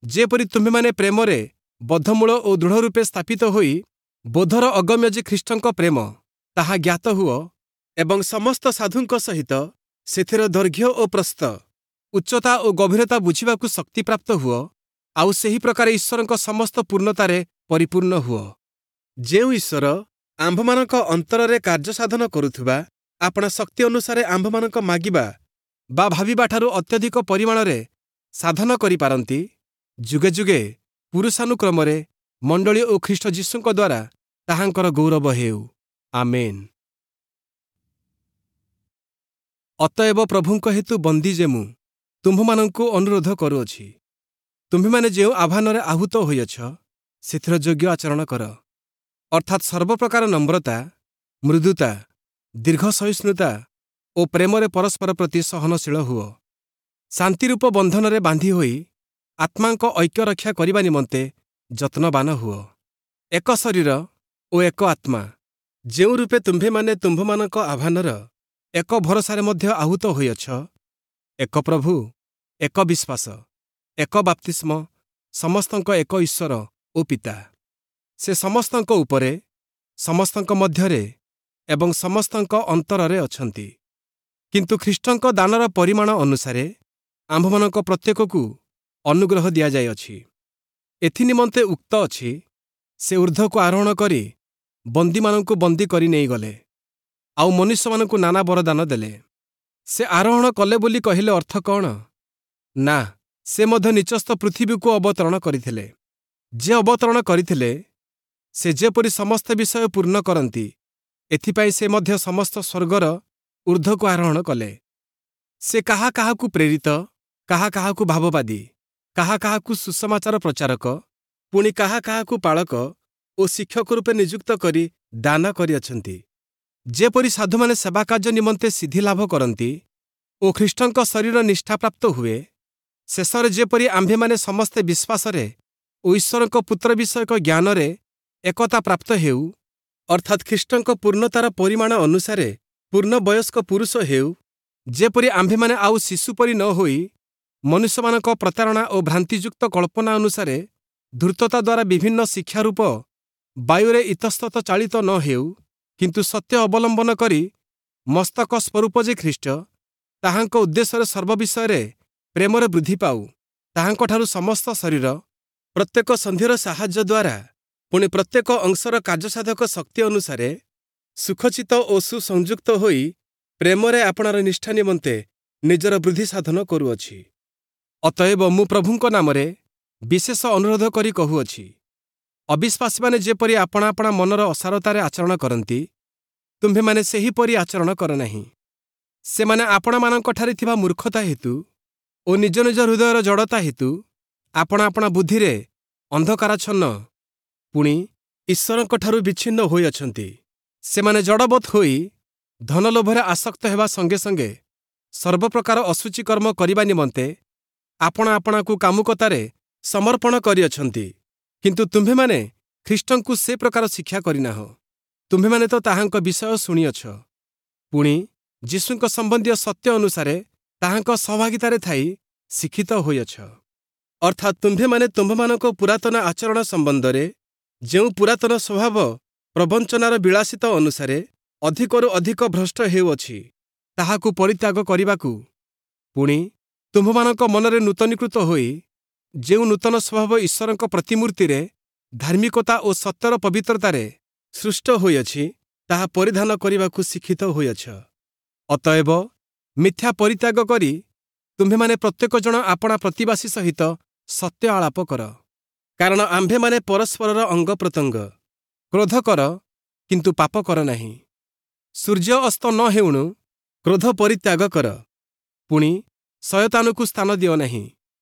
ଯେପରି ତୁମ୍ଭେମାନେ ପ୍ରେମରେ ବଦ୍ଧମୂଳ ଓ ଦୃଢ଼ ରୂପେ ସ୍ଥାପିତ ହୋଇ ବୋଧର ଅଗମ୍ୟ ଯେ ଖ୍ରୀଷ୍ଟଙ୍କ ପ୍ରେମ, ତାହା ଜ୍ଞାତ ହୁଅ ଏବଂ ସମସ୍ତ ସାଧୁଙ୍କ ସହିତ ସେଥିର ଦୈର୍ଘ୍ୟ ଓ ପ୍ରସ୍ଥ, ଉଚ୍ଚତା ଓ ଗଭୀରତା ବୁଝିବାକୁ ଶକ୍ତିପ୍ରାପ୍ତ ହୁଅ, ଆଉ ସେହି ପ୍ରକାର ଈଶ୍ୱରଙ୍କ ସମସ୍ତ ପୂର୍ଣ୍ଣତାରେ ପରିପୂର୍ଣ୍ଣ ହୁଅ। ଯେଉଁ ଈଶ୍ୱର ଆମ୍ଭମାନଙ୍କ ଅନ୍ତରରେ କାର୍ଯ୍ୟସାଧନ କରୁଥିବା ଆପଣା ଶକ୍ତି ଅନୁସାରେ ଆମ୍ଭମାନଙ୍କ ମାଗିବା ବା ଭାବିବାଠାରୁ ଅତ୍ୟଧିକ ପରିମାଣରେ ସାଧନ କରିପାରନ୍ତି, ଯୁଗେ ଯୁଗେ ପୁରୁଷାନୁକ୍ରମରେ ମଣ୍ଡଳୀ ଓ ଖ୍ରୀଷ୍ଟ ଯୀଶୁଙ୍କ ଦ୍ୱାରା ତାହାଙ୍କର ଗୌରବ ହେଉ। ଆମେନ୍। ଅତଏବ ପ୍ରଭୁଙ୍କ ହେତୁ ବନ୍ଦୀ ଯେ ମୁଁ ତୁମ୍ଭମାନଙ୍କୁ ଅନୁରୋଧ କରୁଅଛି, ତୁମ୍ଭେମାନେ ଯେଉଁ ଆହ୍ୱାନରେ ଆହୁତ ହୋଇଅଛ, ସେଥିର ଯୋଗ୍ୟ ଆଚରଣ କର, ଅର୍ଥାତ୍ ସର୍ବପ୍ରକାର ନମ୍ରତା, ମୃଦୁତା, ଦୀର୍ଘ ସହିଷ୍ଣୁତା ଓ ପ୍ରେମରେ ପରସ୍ପର ପ୍ରତି ସହନଶୀଳ ହୁଅ। ଶାନ୍ତିରୂପ ବନ୍ଧନରେ ବାନ୍ଧି ହୋଇ ଆତ୍ମାଙ୍କ ଐକ୍ୟ ରକ୍ଷା କରିବା ନିମନ୍ତେ ଯତ୍ନବାନ ହୁଅ। ଏକ ଶରୀର ଓ ଏକ ଆତ୍ମା, ଯେଉଁ ରୂପେ ତୁମ୍ଭେମାନେ ତୁମ୍ଭମାନଙ୍କ ଆହ୍ୱାନର ଏକ ଭରସାରେ ମଧ୍ୟ ଆହୁତ ହୋଇଅଛ, ଏକ ପ୍ରଭୁ, ଏକ ବିଶ୍ୱାସ, ଏକ ବାପ୍ତିସ୍ମ, ସମସ୍ତଙ୍କ ଏକ ଈଶ୍ୱର ଓ ପିତା। ସେ ସମସ୍ତଙ୍କ ଉପରେ, ସମସ୍ତଙ୍କ ମଧ୍ୟରେ ଏବଂ ସମସ୍ତଙ୍କ ଅନ୍ତରରେ ଅଛନ୍ତି। କିନ୍ତୁ ଖ୍ରୀଷ୍ଟଙ୍କ ଦାନର ପରିମାଣ ଅନୁସାରେ ଆମ୍ଭମାନଙ୍କ ପ୍ରତ୍ୟେକକୁ ଅନୁଗ୍ରହ ଦିଆଯାଇଅଛି। ଏଥିନିମନ୍ତେ ଉକ୍ତ ଅଛି, ସେ ଊର୍ଦ୍ଧ୍ୱକୁ ଆରୋହଣ କରି ବନ୍ଦୀମାନଙ୍କୁ ବନ୍ଦୀ କରି ନେଇଗଲେ, ଆଉ ମନୁଷ୍ୟମାନଙ୍କୁ ନାନା ବରଦାନ ଦେଲେ। ସେ ଆରୋହଣ କଲେ ବୋଲି କହିଲେ ଅର୍ଥ କ'ଣ? ନା, ସେ ମଧ୍ୟ ନୀଚସ୍ଥ ପୃଥିବୀକୁ ଅବତରଣ କରିଥିଲେ। ଯେ ଅବତରଣ କରିଥିଲେ, ସେ ଯେପରି ସମସ୍ତ ବିଷୟ ପୂର୍ଣ୍ଣ କରନ୍ତି, ଏଥିପାଇଁ ସେ ମଧ୍ୟ ସମସ୍ତ ସ୍ୱର୍ଗର ଊର୍ଦ୍ଧ୍ୱକୁ ଆରୋହଣ କଲେ। ସେ କାହା କାହାକୁ ପ୍ରେରିତ, କାହା କାହାକୁ ଭାବବାଦୀ, କାହା କାହାକୁ ସୁସମାଚାର ପ୍ରଚାରକ, ପୁଣି କାହା କାହାକୁ ପାଳକ ଓ ଶିକ୍ଷକ ରୂପେ ନିଯୁକ୍ତ କରି ଦାନ କରିଅଛନ୍ତି, ଯେପରି ସାଧୁମାନେ ସେବାକାର୍ଯ୍ୟ ନିମନ୍ତେ ସିଦ୍ଧି ଲାଭ କରନ୍ତି ଓ ଖ୍ରୀଷ୍ଟଙ୍କ ଶରୀର ନିଷ୍ଠାପ୍ରାପ୍ତ ହୁଏ। ଶେଷରେ ଯେପରି ଆମ୍ଭେମାନେ ସମସ୍ତେ ବିଶ୍ୱାସରେ ଓ ଈଶ୍ୱରଙ୍କ ପୁତ୍ର ବିଷୟକ ଜ୍ଞାନରେ ଏକତା ପ୍ରାପ୍ତ ହେଉ, ଅର୍ଥାତ୍ ଖ୍ରୀଷ୍ଟଙ୍କ ପୂର୍ଣ୍ଣତାର ପରିମାଣ ଅନୁସାରେ ପୂର୍ଣ୍ଣ ବୟସ୍କ ପୁରୁଷ ହେଉ, ଯେପରି ଆମ୍ଭେମାନେ ଆଉ ଶିଶୁ ପରି ନ ହୋଇ ମନୁଷ୍ୟମାନଙ୍କ ପ୍ରତାରଣା ଓ ଭ୍ରାନ୍ତିଯୁକ୍ତ କଳ୍ପନା ଅନୁସାରେ ଧୂର୍ତ୍ତତା ଦ୍ୱାରା ବିଭିନ୍ନ ଶିକ୍ଷାରୂପ ବାୟୁରେ ଇତସ୍ତତ ଚାଳିତ ନ ହେଉ, କିନ୍ତୁ ସତ୍ୟ ଅବଲମ୍ବନ କରି ମସ୍ତକ ସ୍ୱରୂପ ଯେ ଖ୍ରୀଷ୍ଟ, ତାହାଙ୍କ ଉଦ୍ଦେଶ୍ୟରେ ସର୍ବ ବିଷୟରେ ପ୍ରେମରେ ବୃଦ୍ଧି ପାଉ। ତାହାଙ୍କଠାରୁ ସମସ୍ତ ଶରୀର ପ୍ରତ୍ୟେକ ସନ୍ଧିର ସାହାଯ୍ୟ ଦ୍ୱାରା ପୁଣି ପ୍ରତ୍ୟେକ ଅଂଶର କାର୍ଯ୍ୟସାଧକ ଶକ୍ତି ଅନୁସାରେ ସୁଖଚିତ ଓ ସୁସଂଯୁକ୍ତ ହୋଇ ପ୍ରେମରେ ଆପଣାର ନିଷ୍ଠା ନିମନ୍ତେ ନିଜର ବୃଦ୍ଧି ସାଧନ କରୁଅଛି। ଅତଏବ ମୁଁ ପ୍ରଭୁଙ୍କ ନାମରେ ବିଶେଷ ଅନୁରୋଧ କରି କହୁଅଛି, ଅବିଶ୍ୱାସୀମାନେ ଯେପରି ଆପଣା ଆପଣା ମନର ଅସାରତାରେ ଆଚରଣ କରନ୍ତି, ତୁମ୍ଭେମାନେ ସେହିପରି ଆଚରଣ କର ନାହିଁ। ସେମାନେ ଆପଣାମାନଙ୍କଠାରେ ଥିବା ମୂର୍ଖତା ହେତୁ ଓ ନିଜ ନିଜ ହୃଦୟର ଜଡ଼ତା ହେତୁ ଆପଣା ଆପଣା ବୁଦ୍ଧିରେ ଅନ୍ଧକାରାଚ୍ଛନ୍ନ ପୁଣି ଈଶ୍ୱରଙ୍କଠାରୁ ବିଚ୍ଛିନ୍ନ ହୋଇଅଛନ୍ତି। ସେମାନେ ଜଡ଼ବତ୍ ହୋଇ ଧନଲୋଭରେ ଆସକ୍ତ ହେବା ସଙ୍ଗେ ସଙ୍ଗେ ସର୍ବପ୍ରକାର ଅଶୁଚି କର୍ମ କରିବା ନିମନ୍ତେ ଆପଣା ଆପଣାକୁ କାମୁକତାରେ ସମର୍ପଣ କରିଅଛନ୍ତି। କିନ୍ତୁ ତୁମ୍ଭେମାନେ ଖ୍ରୀଷ୍ଟଙ୍କୁ ସେ ପ୍ରକାର ଶିକ୍ଷା କରିନାହଁ। ତୁମ୍ଭେମାନେ ତ ତାହାଙ୍କ ବିଷୟ ଶୁଣିଅଛ, ପୁଣି ଯୀଶୁଙ୍କ ସମ୍ବନ୍ଧୀୟ ସତ୍ୟ ଅନୁସାରେ ତାହାଙ୍କ ସହଭାଗିତାରେ ଥାଇ ଶିକ୍ଷିତ ହୋଇଅଛ। ଅର୍ଥାତ୍ ତୁମ୍ଭେମାନେ ତୁମ୍ଭମାନଙ୍କ ପୁରାତନ ଆଚରଣ ସମ୍ବନ୍ଧରେ ଯେଉଁ ପୁରାତନ ସ୍ୱଭାବ ପ୍ରବଞ୍ଚନାର ବିଳାସିତ ଅନୁସାରେ ଅଧିକରୁ ଅଧିକ ଭ୍ରଷ୍ଟ ହେଉଅଛି, ତାହାକୁ ପରିତ୍ୟାଗ କରିବାକୁ, ପୁଣି ତୁମ୍ଭମାନଙ୍କ ମନରେ ନୂତନୀକୃତ ହୋଇ ଯେଉଁ ନୂତନ ସ୍ୱଭାବ ଈଶ୍ୱରଙ୍କ ପ୍ରତିମୂର୍ତ୍ତିରେ ଧାର୍ମିକତା ଓ ସତ୍ୟର ପବିତ୍ରତାରେ ସୃଷ୍ଟ ହୋଇଅଛି, ତାହା ପରିଧାନ କରିବାକୁ ଶିକ୍ଷିତ ହୋଇଅଛ। ଅତଏବ ମିଥ୍ୟା ପରିତ୍ୟାଗ କରି ତୁମ୍ଭେମାନେ ପ୍ରତ୍ୟେକ ଜଣ ଆପଣା ପ୍ରତିବାସୀ ସହିତ ସତ୍ୟ ଆଳାପ କର, କାରଣ ଆମ୍ଭେମାନେ ପରସ୍ପରର ଅଙ୍ଗ ପ୍ରତ୍ୟଙ୍ଗ। କ୍ରୋଧ କର, କିନ୍ତୁ ପାପ କର ନାହିଁ। ସୂର୍ଯ୍ୟ ଅସ୍ତ ନ ହେଉଣୁ କ୍ରୋଧ ପରିତ୍ୟାଗ କର, ପୁଣି ଶୟତାନକୁ ସ୍ଥାନ ଦିଅ ନାହିଁ।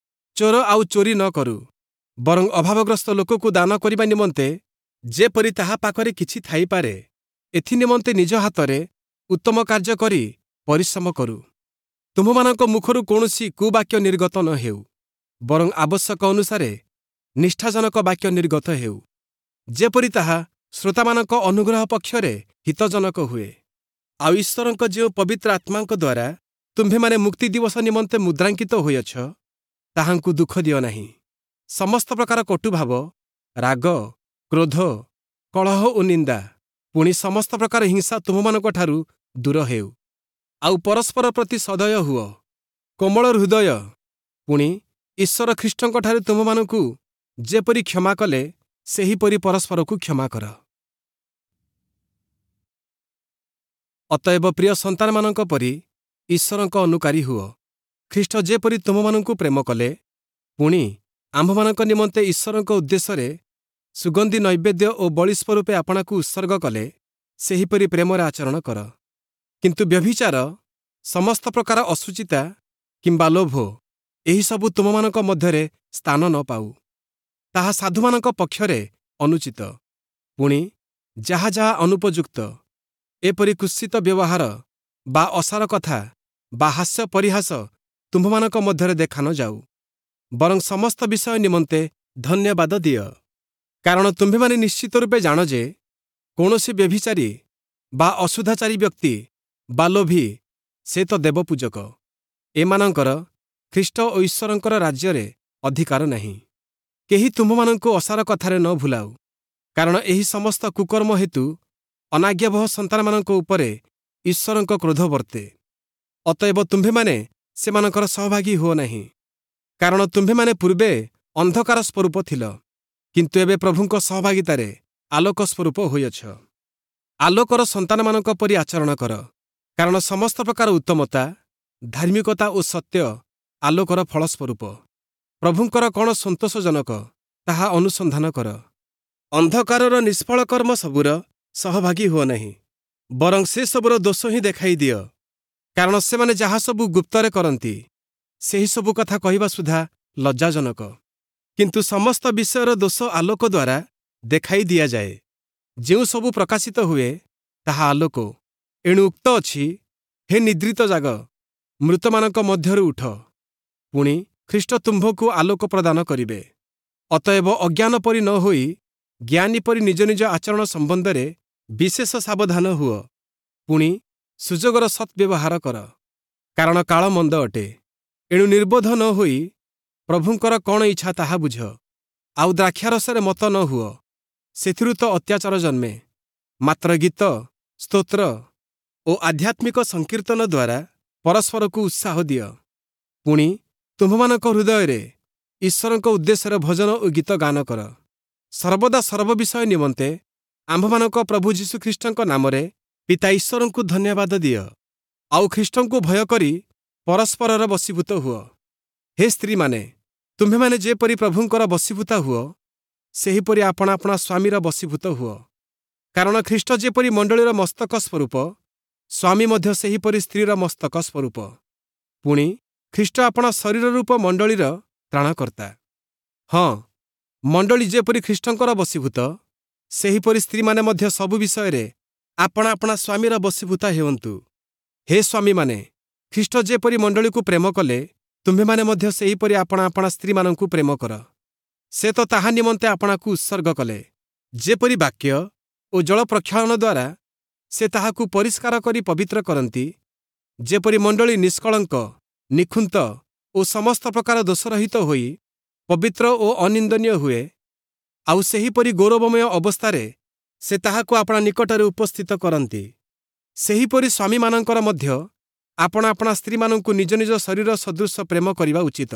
ଚୋର ଆଉ ଚୋରି ନ କରୁ, ବରଂ ଅଭାବଗ୍ରସ୍ତ ଲୋକକୁ ଦାନ କରିବା ନିମନ୍ତେ ଯେପରି ତାହା ପାଖରେ କିଛି ଥାଇପାରେ, ଏଥିନିମନ୍ତେ ନିଜ ହାତରେ ଉତ୍ତମ କାର୍ଯ୍ୟ କରି ପରିଶ୍ରମ କରୁ। ତୁମ୍ଭମାନଙ୍କ ମୁଖରୁ କୌଣସି କୁବାକ୍ୟ ନିର୍ଗତ ନ ହେଉ, ବରଂ ଆବଶ୍ୟକ ଅନୁସାରେ ନିଷ୍ଠାଜନକ ବାକ୍ୟ ନିର୍ଗତ ହେଉ, ଯେପରି ତାହା ଶ୍ରୋତାମାନଙ୍କ ଅନୁଗ୍ରହ ପକ୍ଷରେ ହିତଜନକ ହୁଏ। ଆଉ ଈଶ୍ୱରଙ୍କ ଯେଉଁ ପବିତ୍ର ଆତ୍ମାଙ୍କ ଦ୍ୱାରା ତୁମ୍ଭେମାନେ ମୁକ୍ତି ଦିବସ ନିମନ୍ତେ ମୁଦ୍ରାଙ୍କିତ ହୋଇଅଛ, ତାହାଙ୍କୁ ଦୁଃଖ ଦିଅ ନାହିଁ। ସମସ୍ତ ପ୍ରକାର କଟୁଭାବ, ରାଗ, କ୍ରୋଧ, କଳହ ଓ ନିନ୍ଦା, ପୁଣି ସମସ୍ତ ପ୍ରକାର ହିଂସା ତୁମ୍ଭମାନଙ୍କଠାରୁ ଦୂର ହେଉ। ଆଉ ପରସ୍ପର ପ୍ରତି ସଦୟ ହୁଅ, କୋମଳ ହୃଦୟ, ପୁଣି ଈଶ୍ୱର ଖ୍ରୀଷ୍ଟଙ୍କଠାରେ ତୁମ୍ଭମାନଙ୍କୁ ଯେପରି କ୍ଷମା କଲେ, ସେହିପରି ପରସ୍ପରକୁ କ୍ଷମା କର। ଅତଏବ ପ୍ରିୟ ସନ୍ତାନମାନଙ୍କ ପରି ଈଶ୍ୱରଙ୍କ ଅନୁକାରୀ ହୁଅ। ଖ୍ରୀଷ୍ଟ ଯେପରି ତୁମ୍ଭମାନଙ୍କୁ ପ୍ରେମ କଲେ, ପୁଣି ଆମ୍ଭମାନଙ୍କ ନିମନ୍ତେ ଈଶ୍ୱରଙ୍କ ଉଦ୍ଦେଶ୍ୟରେ ସୁଗନ୍ଧି ନୈବେଦ୍ୟ ଓ ବଳି ସ୍ୱରୂପେ ଆପଣାକୁ ଉତ୍ସର୍ଗ କଲେ, ସେହିପରି ପ୍ରେମରେ ଆଚରଣ କର। କିନ୍ତୁ ବ୍ୟଭିଚାର, ସମସ୍ତ ପ୍ରକାର ଅଶୁଚିତା କିମ୍ବା ଲୋଭ ଏହିସବୁ ତୁମମାନଙ୍କ ମଧ୍ୟରେ ସ୍ଥାନ ନ ପାଉ। ତାହା ସାଧୁମାନଙ୍କ ପକ୍ଷରେ ଅନୁଚିତ। ପୁଣି ଯାହା ଯାହା ଅନୁପଯୁକ୍ତ, ଏପରି କୁତ୍ସିତ ବ୍ୟବହାର ବା ଅସାର କଥା ବା ହାସ୍ୟ ପରିହାସ ତୁମ୍ଭମାନଙ୍କ ମଧ୍ୟରେ ଦେଖା ନ ଯାଉ, ବରଂ ସମସ୍ତ ବିଷୟ ନିମନ୍ତେ ଧନ୍ୟବାଦ ଦିଅ। କାରଣ ତୁମ୍ଭେମାନେ ନିଶ୍ଚିତ ରୂପେ ଜାଣ ଯେ କୌଣସି ବ୍ୟଭିଚାରୀ ବା ଅଶୁଦ୍ଧାଚାରୀ ବ୍ୟକ୍ତି ବା ଲୋଭୀ, ସେ ତ ଦେବପୂଜକ, ଏମାନଙ୍କର ଖ୍ରୀଷ୍ଟ ଓ ଈଶ୍ୱରଙ୍କର ରାଜ୍ୟରେ ଅଧିକାର ନାହିଁ। କେହି ତୁମ୍ଭମାନଙ୍କୁ ଅସାର କଥାରେ ନ ଭୁଲାଉ, କାରଣ ଏହି ସମସ୍ତ କୁକର୍ମ ହେତୁ ଅନାଜ୍ଞାବହ ସନ୍ତାନମାନଙ୍କ ଉପରେ ଈଶ୍ୱରଙ୍କ କ୍ରୋଧ ବର୍ତ୍ତେ। ଅତଏବ ତୁମ୍ଭେମାନେ ସେମାନଙ୍କର ସହଭାଗୀ ହୁଅ ନାହିଁ। କାରଣ ତୁମ୍ଭେମାନେ ପୂର୍ବେ ଅନ୍ଧକାର ସ୍ୱରୂପ ଥିଲ, କିନ୍ତୁ ଏବେ ପ୍ରଭୁଙ୍କ ସହଭାଗିତାରେ ଆଲୋକ ସ୍ୱରୂପ ହୋଇଅଛ। ଆଲୋକର ସନ୍ତାନମାନଙ୍କ ପରି ଆଚରଣ କର, କାରଣ ସମସ୍ତ ପ୍ରକାର ଉତ୍ତମତା, ଧାର୍ମିକତା ଓ ସତ୍ୟ ଆଲୋକର ଫଳସ୍ୱରୂପ। ପ୍ରଭୁଙ୍କର କ'ଣ ସନ୍ତୋଷଜନକ ତାହା ଅନୁସନ୍ଧାନ କର। ଅନ୍ଧକାରର ନିଷ୍ଫଳ କର୍ମ ସବୁର ସହଭାଗୀ ହୁଅ ନାହିଁ, ବରଂ ସେସବୁର ଦୋଷ ହିଁ ଦେଖାଇ ଦିଅ। କାରଣ ସେମାନେ ଯାହା ସବୁ ଗୁପ୍ତରେ କରନ୍ତି, ସେହିସବୁ କଥା କହିବା ସୁଦ୍ଧା ଲଜ୍ଜାଜନକ। କିନ୍ତୁ ସମସ୍ତ ବିଷୟର ଦୋଷ ଆଲୋକ ଦ୍ୱାରା ଦେଖାଇ ଦିଆଯାଏ। ଯେଉଁ ସବୁ ପ୍ରକାଶିତ ହୁଏ ତାହା ଆଲୋକ। ଏଣୁ ଉକ୍ତ ଅଛି, ହେ ନିଦ୍ରିତ ଜାଗ, ମୃତମାନଙ୍କ ମଧ୍ୟରୁ ଉଠ, ପୁଣି ଖ୍ରୀଷ୍ଟ ତୁମ୍ଭକୁ ଆଲୋକ ପ୍ରଦାନ କରିବେ। ଅତଏବ ଅଜ୍ଞାନ ପରି ନ ହୋଇ ଜ୍ଞାନୀ ପରି ନିଜ ନିଜ ଆଚରଣ ସମ୍ବନ୍ଧରେ ବିଶେଷ ସାବଧାନ ହୁଅ। ପୁଣି ସୁଯୋଗର ସଦ୍ବ୍ୟବହାର କର, କାରଣ କାଳ ମନ୍ଦ ଅଟେ। ଏଣୁ ନିର୍ବୋଧ ନ ହୋଇ ପ୍ରଭୁଙ୍କର କ'ଣ ଇଚ୍ଛା ତାହା ବୁଝ। ଆଉ ଦ୍ରାକ୍ଷାରସରେ ମତ ନ ହୁଅ, ସେଥିରୁ ତ ଅତ୍ୟାଚାର ଜନ୍ମେ। ମାତ୍ର ଗୀତ, ସ୍ତୋତ୍ର ଓ ଆଧ୍ୟାତ୍ମିକ ସଂକୀର୍ତ୍ତନ ଦ୍ୱାରା ପରସ୍ପରକୁ ଉତ୍ସାହ ଦିଅ। ପୁଣି ତୁମ୍ଭମାନଙ୍କ ହୃଦୟରେ ଈଶ୍ୱରଙ୍କ ଉଦ୍ଦେଶ୍ୟରେ ଭଜନ ଓ ଗୀତ ଗାନ କର। ସର୍ବଦା ସର୍ବ ବିଷୟ ନିମନ୍ତେ ଆମ୍ଭମାନଙ୍କ ପ୍ରଭୁ ଯୀଶୁଖ୍ରୀଷ୍ଟଙ୍କ ନାମରେ ପିତା ଈଶ୍ୱରଙ୍କୁ ଧନ୍ୟବାଦ ଦିଅ। ଆଉ ଖ୍ରୀଷ୍ଟଙ୍କୁ ଭୟ କରି ପରସ୍ପରର ବଶୀଭୂତ ହୁଅ। ହେ ସ୍ତ୍ରୀମାନେ, ତୁମ୍ଭେମାନେ ଯେପରି ପ୍ରଭୁଙ୍କର ବଶୀଭୂତା ହୁଅ, ସେହିପରି ଆପଣା ଆପଣା ସ୍ୱାମୀର ବଶୀଭୂତ ହୁଅ। କାରଣ ଖ୍ରୀଷ୍ଟ ଯେପରି ମଣ୍ଡଳୀର ମସ୍ତକ ସ୍ୱରୂପ, ସ୍ୱାମୀ ମଧ୍ୟ ସେହିପରି ସ୍ତ୍ରୀର ମସ୍ତକ ସ୍ୱରୂପ। ପୁଣି ଖ୍ରୀଷ୍ଟ ଆପଣା ଶରୀର ରୂପ ମଣ୍ଡଳୀର ତ୍ରାଣକର୍ତ୍ତା। ହଁ, ମଣ୍ଡଳୀ ଯେପରି ଖ୍ରୀଷ୍ଟଙ୍କର ବଶୀଭୂତ, ସେହିପରି ସ୍ତ୍ରୀମାନେ ମଧ୍ୟ ସବୁ ବିଷୟରେ ଆପଣା ଆପଣା ସ୍ୱାମୀର ବଶୀଭୂତା ହେଉନ୍ତୁ। ହେ ସ୍ୱାମୀମାନେ, ଖ୍ରୀଷ୍ଟ ଯେପରି ମଣ୍ଡଳୀକୁ ପ୍ରେମ କଲେ, ତୁମ୍ଭେମାନେ ମଧ୍ୟ ସେହିପରି ଆପଣା ଆପଣା ସ୍ତ୍ରୀମାନଙ୍କୁ ପ୍ରେମ କର। ସେ ତ ତାହା ନିମନ୍ତେ ଆପଣାକୁ ଉତ୍ସର୍ଗ କଲେ, ଯେପରି ବାକ୍ୟ ଓ ଜଳ ପ୍ରକ୍ଷାଳନ ଦ୍ୱାରା ସେ ତାହାକୁ ପରିଷ୍କାର କରି ପବିତ୍ର କରନ୍ତି, ଯେପରି ମଣ୍ଡଳୀ ନିଷ୍କଳଙ୍କ, ନିଖୁନ୍ତ ଓ ସମସ୍ତ ପ୍ରକାର ଦୋଷରହିତ ହୋଇ ପବିତ୍ର ଓ ଅନିନ୍ଦନୀୟ ହୁଏ, ଆଉ ସେହିପରି ଗୌରବମୟ ଅବସ୍ଥାରେ ସେ ତାହାକୁ ଆପଣା ନିକଟରେ ଉପସ୍ଥିତ କରନ୍ତି। ସେହିପରି ସ୍ୱାମୀମାନଙ୍କର ମଧ୍ୟ ଆପଣା ଆପଣା ସ୍ତ୍ରୀମାନଙ୍କୁ ନିଜ ନିଜ ଶରୀର ସଦୃଶ ପ୍ରେମ କରିବା ଉଚିତ।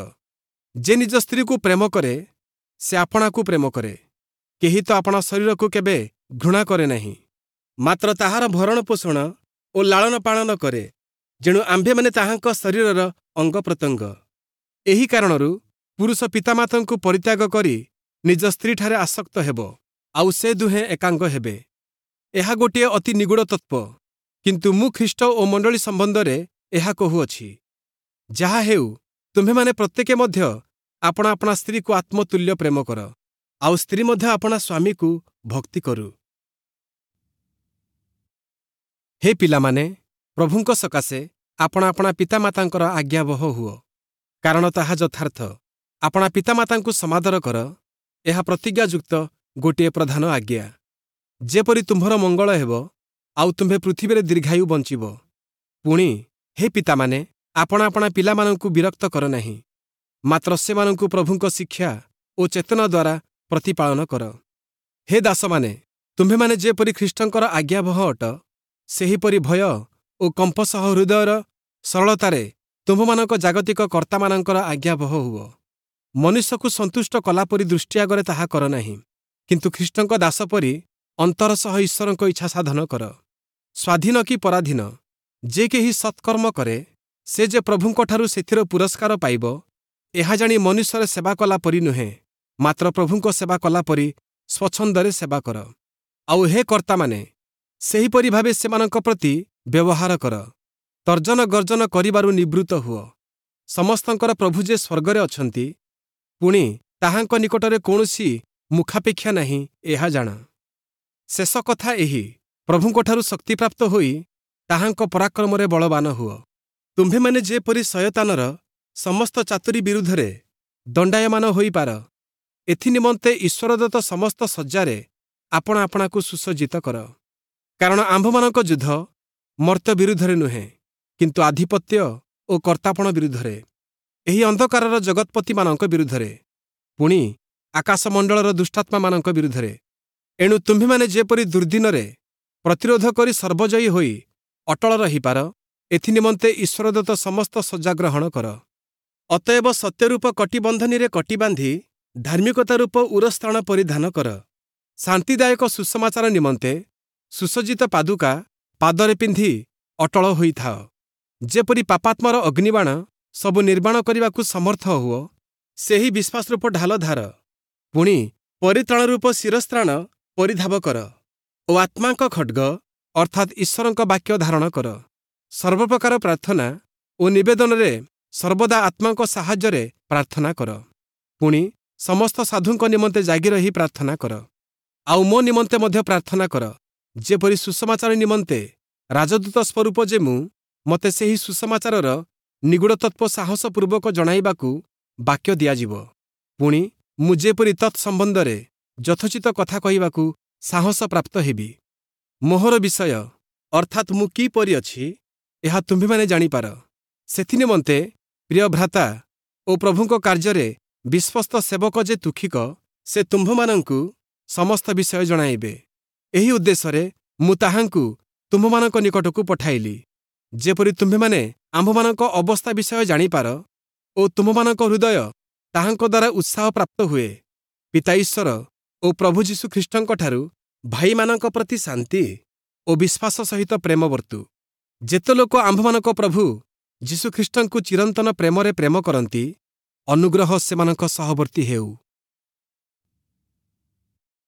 ଯେ ନିଜ ସ୍ତ୍ରୀକୁ ପ୍ରେମ କରେ, ସେ ଆପଣାକୁ ପ୍ରେମ କରେ। କେହି ତ ଆପଣା ଶରୀରକୁ କେବେ ଘୃଣା କରେ ନାହିଁ, ମାତ୍ର ତାହାର ଭରଣ ପୋଷଣ ଓ ଲାଳନ ପାଳନ କରେ। ଯେଣୁ ଆମ୍ଭେମାନେ ତାହାଙ୍କ ଶରୀରର ଅଙ୍ଗ ପ୍ରତ୍ୟଙ୍ଗ। ଏହି କାରଣରୁ ପୁରୁଷ ପିତାମାତାଙ୍କୁ ପରିତ୍ୟାଗ କରି ନିଜ ସ୍ତ୍ରୀଠାରେ ଆସକ୍ତ ହେବ, ଆଉ ସେ ଦୁହେଁ ଏକାଙ୍ଗ ହେବେ। ଏହା ଗୋଟିଏ ଅତି ନିଗୂଢ଼ ତତ୍ତ୍ୱ, କିନ୍ତୁ ମୁଁ ଖ୍ରୀଷ୍ଟ ଓ ମଣ୍ଡଳୀ ସମ୍ବନ୍ଧରେ ଏହା କହୁଅଛି। ଯାହା ହେଉ, ତୁମ୍ଭେମାନେ ପ୍ରତ୍ୟେକେ ମଧ୍ୟ ଆପଣା ଆପଣା ସ୍ତ୍ରୀକୁ ଆତ୍ମତୁଲ୍ୟ ପ୍ରେମ କର, ଆଉ ସ୍ତ୍ରୀ ମଧ୍ୟ ଆପଣା ସ୍ୱାମୀକୁ ଭକ୍ତି କରୁ। ହେ ପିଲାମାନେ, ପ୍ରଭୁଙ୍କ ସକାଶେ ଆପଣା ଆପଣା ପିତାମାତାଙ୍କର ଆଜ୍ଞାବହ ହୁଅ, କାରଣ ତାହା ଯଥାର୍ଥ। ଆପଣା ପିତାମାତାଙ୍କୁ ସମାଦର କର, ଏହା ପ୍ରତିଜ୍ଞାଯୁକ୍ତ ଗୋଟିଏ ପ୍ରଧାନ ଆଜ୍ଞା, ଯେପରି ତୁମ୍ଭର ମଙ୍ଗଳ ହେବ, ଆଉ ତୁମ୍ଭେ ପୃଥିବୀରେ ଦୀର୍ଘାୟୁ ବଞ୍ଚିବ। ପୁଣି ହେ ପିତାମାନେ, ଆପଣା ଆପଣା ପିଲାମାନଙ୍କୁ ବିରକ୍ତ କର ନାହିଁ, ମାତ୍ର ସେମାନଙ୍କୁ ପ୍ରଭୁଙ୍କ ଶିକ୍ଷା ଓ ଚେତନା ଦ୍ୱାରା ପ୍ରତିପାଳନ କର। ହେ ଦାସମାନେ, ତୁମ୍ଭେମାନେ ଯେପରି ଖ୍ରୀଷ୍ଟଙ୍କର ଆଜ୍ଞାବହ ଅଟ, ସେହିପରି ଭୟ ଓ କମ୍ପ ସହ ହୃଦୟର ସରଳତାରେ ତୁମ୍ଭମାନଙ୍କ ଜାଗତିକ କର୍ତ୍ତାମାନଙ୍କର ଆଜ୍ଞାବହ ହୁଅ। ମନୁଷ୍ୟକୁ ସନ୍ତୁଷ୍ଟ କଲାପରି ଦୃଷ୍ଟି ଆଗରେ ତାହା କର ନାହିଁ, କିନ୍ତୁ ଖ୍ରୀଷ୍ଟଙ୍କ ଦାସ ପରି ଅନ୍ତର ସହ ଈଶ୍ୱରଙ୍କ ଇଚ୍ଛା ସାଧନ କର। ସ୍ୱାଧୀନ କି ପରାଧୀନ, ଯେ କେହି ସତ୍କର୍ମ କରେ, ସେ ଯେ ପ୍ରଭୁଙ୍କଠାରୁ ସେଥିର ପୁରସ୍କାର ପାଇବ, ଏହା ଜାଣି ମନୁଷ୍ୟର ସେବା କଲା ପରି ନୁହେଁ, ମାତ୍ର ପ୍ରଭୁଙ୍କ ସେବା କଲା ପରି ସ୍ୱଚ୍ଛନ୍ଦରେ ସେବା କର। ଆଉ ହେ କର୍ତ୍ତାମାନେ, ସେହିପରି ଭାବେ ସେମାନଙ୍କ ପ୍ରତି ବ୍ୟବହାର କର। ତର୍ଜନ ଗର୍ଜନ କରିବାରୁ ନିବୃତ୍ତ ହୁଅ। ସମସ୍ତଙ୍କର ପ୍ରଭୁ ଯେ ସ୍ୱର୍ଗରେ ଅଛନ୍ତି, ପୁଣି ତାହାଙ୍କ ନିକଟରେ କୌଣସି ମୁଖାପେକ୍ଷା ନାହିଁ, ଏହା ଜାଣ। ଶେଷ କଥା ଏହି, ପ୍ରଭୁଙ୍କଠାରୁ ଶକ୍ତିପ୍ରାପ୍ତ ହୋଇ ତାହାଙ୍କ ପରାକ୍ରମରେ ବଳବାନ ହୁଅ। ତୁମ୍ଭେମାନେ ଯେପରି ଶୟତାନର ସମସ୍ତ ଚାତୁରୀ ବିରୁଦ୍ଧରେ ଦଣ୍ଡାୟମାନ ହୋଇପାର, ଏଥିନିମନ୍ତେ ଈଶ୍ୱରଦତ୍ତ ସମସ୍ତ ସଜ୍ଜାରେ ଆପଣା ଆପଣାକୁ ସୁସଜ୍ଜିତ କର। କାରଣ ଆମ୍ଭମାନଙ୍କ ଯୁଦ୍ଧ ମର୍ତ୍ତ୍ୟ ବିରୁଦ୍ଧରେ ନୁହେଁ, କିନ୍ତୁ ଆଧିପତ୍ୟ ଓ କର୍ତ୍ତାପଣ ବିରୁଦ୍ଧରେ, ଏହି ଅନ୍ଧକାରର ଜଗତ୍ପତିମାନଙ୍କ ବିରୁଦ୍ଧରେ, ପୁଣି ଆକାଶମଣ୍ଡଳର ଦୁଷ୍ଟାତ୍ମାମାନଙ୍କ ବିରୁଦ୍ଧରେ। ଏଣୁ ତୁମ୍ଭେମାନେ ଯେପରି ଦୁର୍ଦିନରେ ପ୍ରତିରୋଧ କରି ସର୍ବଜୟୀ ହୋଇ ଅଟଳ ରହିପାର, ଏଥିନିମନ୍ତେ ଈଶ୍ୱରଦତ୍ତ ସମସ୍ତ ସଜ୍ଜା ଗ୍ରହଣ କର। ଅତଏବ ସତ୍ୟରୂପ କଟିବନ୍ଧନୀରେ କଟି ବାନ୍ଧି ଧାର୍ମିକତା ରୂପ ଉରସ୍ତ୍ରାଣ ପରିଧାନ କର। ଶାନ୍ତିଦାୟକ ସୁସମାଚାର ନିମନ୍ତେ ସୁସଜ୍ଜିତ ପାଦୁକା ପାଦରେ ପିନ୍ଧି ଅଟଳ ହୋଇଥାଅ। ଯେପରି ପାପାତ୍ମାର ଅଗ୍ନିବାଣ ସବୁ ନିର୍ବାଣ କରିବାକୁ ସମର୍ଥ ହୁଅ, ସେହି ବିଶ୍ୱାସରୂପ ଢାଲ ଧାର। ପୁଣି ପରିତ୍ରାଣ ରୂପ ଶିରସ୍ତ୍ରାଣ ପରିଧାବ କର ଓ ଆତ୍ମାଙ୍କ ଖଡ୍ଗ ଅର୍ଥାତ୍ ଈଶ୍ୱରଙ୍କ ବାକ୍ୟ ଧାରଣ କର। ସର୍ବପ୍ରକାର ପ୍ରାର୍ଥନା ଓ ନିବେଦନରେ ସର୍ବଦା ଆତ୍ମାଙ୍କ ସାହାଯ୍ୟରେ ପ୍ରାର୍ଥନା କର। ପୁଣି ସମସ୍ତ ସାଧୁଙ୍କ ନିମନ୍ତେ ଜାଗି ରହି ପ୍ରାର୍ଥନା କର। ଆଉ ମୋ ନିମନ୍ତେ ମଧ୍ୟ ପ୍ରାର୍ଥନା କର, ଯେପରି ସୁସମାଚାର ନିମନ୍ତେ ରାଜଦୂତ ସ୍ୱରୂପ ଯେ ମୁଁ, ମୋତେ ସେହି ସୁସମାଚାରର ନିଗୂଢ଼ ତତ୍ତ୍ୱ ସାହସପୂର୍ବକ ଜଣାଇବାକୁ ବାକ୍ୟ ଦିଆଯିବ। ପୁଣି ମୁଁ ଯେପରି ତତ୍ ସମ୍ବନ୍ଧରେ ଯଥୋଚିତ କଥା କହିବାକୁ ସାହସ ପ୍ରାପ୍ତ ହେବି। ମୋହର ବିଷୟ ଅର୍ଥାତ୍ ମୁଁ କିପରି ଅଛି, ଏହା ତୁମ୍ଭେମାନେ ଜାଣିପାର। ସେଥିନିମନ୍ତେ ପ୍ରିୟ ଭ୍ରାତା ଓ ପ୍ରଭୁଙ୍କ କାର୍ଯ୍ୟରେ ବିଶ୍ୱସ୍ତ ସେବକ ଯେ ତୁକ୍ଷିକ, ସେ ତୁମ୍ଭମାନଙ୍କୁ ସମସ୍ତ ବିଷୟ ଜଣାଇବେ। ଏହି ଉଦ୍ଦେଶ୍ୟରେ ମୁଁ ତାହାଙ୍କୁ ତୁମ୍ଭମାନଙ୍କ ନିକଟକୁ ପଠାଇଲି, ଯେପରି ତୁମ୍ଭେମାନେ ଆମ୍ଭମାନଙ୍କ ଅବସ୍ଥା ବିଷୟ ଜାଣିପାର ଓ ତୁମ୍ଭମାନଙ୍କ ହୃଦୟ ତାହାଙ୍କ ଦ୍ୱାରା ଉତ୍ସାହ ପ୍ରାପ୍ତ ହୁଏ। ପିତା ଈଶ୍ୱର ଓ ପ୍ରଭୁ ଯୀଶୁ ଖ୍ରୀଷ୍ଟଙ୍କଠାରୁ ଭାଇମାନଙ୍କ ପ୍ରତି ଶାନ୍ତି ଓ ବିଶ୍ୱାସ ସହିତ ପ୍ରେମ ବର୍ତ୍ତୁ। ଯେତେ ଲୋକ ଆମ୍ଭମାନଙ୍କ ପ୍ରଭୁ ଯୀଶୁଖ୍ରୀଷ୍ଟଙ୍କୁ ଚିରନ୍ତନ ପ୍ରେମରେ ପ୍ରେମ କରନ୍ତି, ଅନୁଗ୍ରହ ସେମାନଙ୍କ ସହବର୍ତ୍ତୀ ହେଉ।